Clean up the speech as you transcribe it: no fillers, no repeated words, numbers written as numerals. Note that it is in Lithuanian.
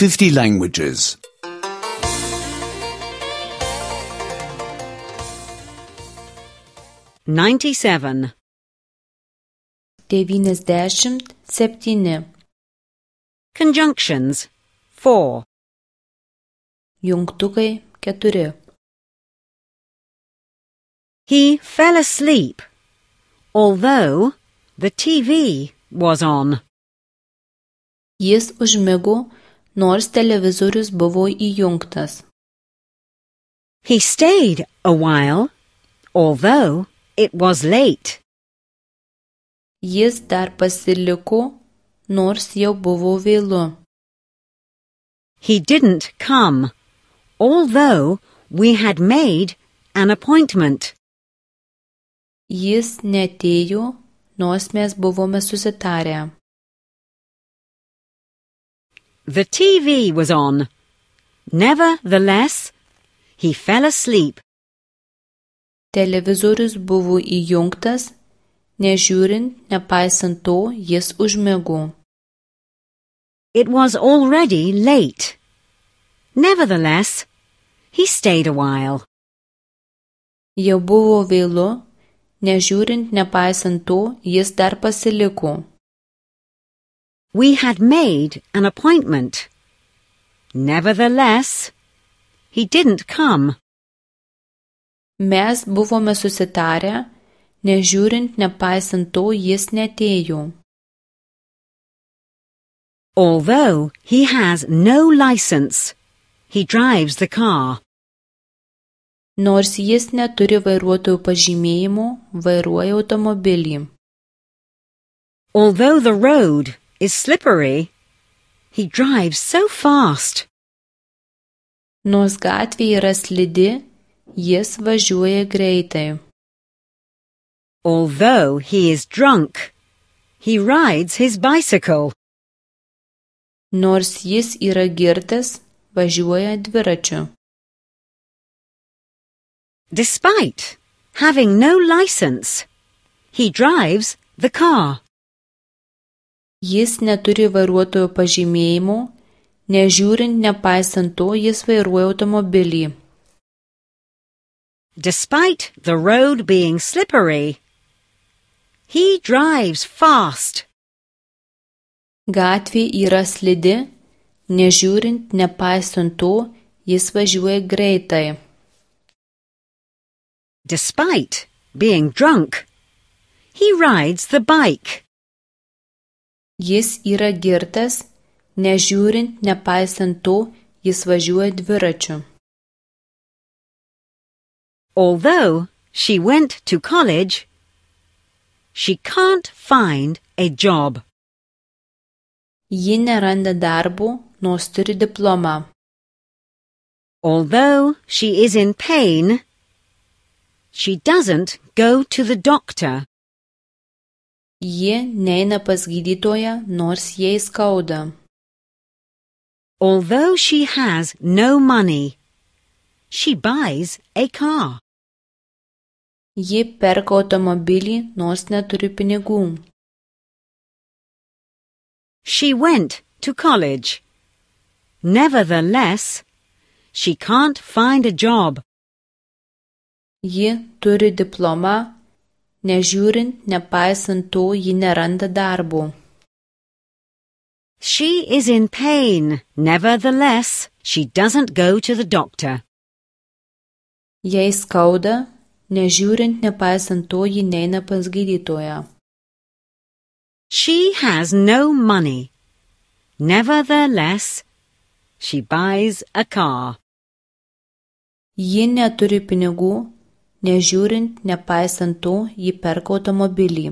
50 languages. 97. 97. Conjunctions 4. Jungtukai 4. He fell asleep, although the TV was on. Jis užmigo, nors televizorius buvo įjungtas. He stayed a while, although it was late. Jis dar pasiliko, nors jau buvo vėlu. He didn't come, although we had made an appointment. Jis neatėjo, nors mes buvome susitarę. The TV was on. Nevertheless, he fell asleep. Televizorius buvo įjungtas, nežiūrint, nepaisant to, jis užmigo. It was already late. Nevertheless, he stayed a while. Jau buvo vėlu, nežiūrint, nepaisant to, jis dar pasiliko. We had made an appointment. Nevertheless, he didn't come. Mes buvome susitarę, nežiūrint, nepaisant to, jis neatėjo. Although he has no license, he drives the car. Nors jis neturi vairuotojo pažymėjimo, vairuoja automobilį. Although the road is slippery, he drives so fast. Nors gatvė yra slidi, jis važiuoja greitai. Although he is drunk, he rides his bicycle. Nors jis yra girtas, važiuoja dviračiu. Despite having no license, he drives the car. Jis neturi vairuotojo pažymėjimo, nežiūrint, nepaisant to, jis vairuoja automobilį. Despite the road being slippery, he drives fast. Gatvė yra slidi, nežiūrint, nepaisant to, jis važiuoja greitai. Despite being drunk, he rides the bike. Jis yra girtas, nežiūrint, nepaisant to, jis važiuoja dviračiu. Although she went to college, she can't find a job. Ji neranda darbo, nors turi diplomą. Although she is in pain, she doesn't go to the doctor. Ji neina pas gydytoją, nors jai skauda. Although she has no money, she buys a car. Ji perka automobilį, nors neturi pinigų. She went to college. Nevertheless, she can't find a job. Ji turi diplomą, nežiūrint, nepaisant to, ji neranda darbo. She is in pain. Nevertheless, she doesn't go to the doctor. Jai skauda, nežiūrint, nepaisant to, ji neina pas gydytoją. She has no money. Nevertheless, she buys a car. Ji neturi pinigų, nežiūrint, nepaisant to, ji perka automobilį.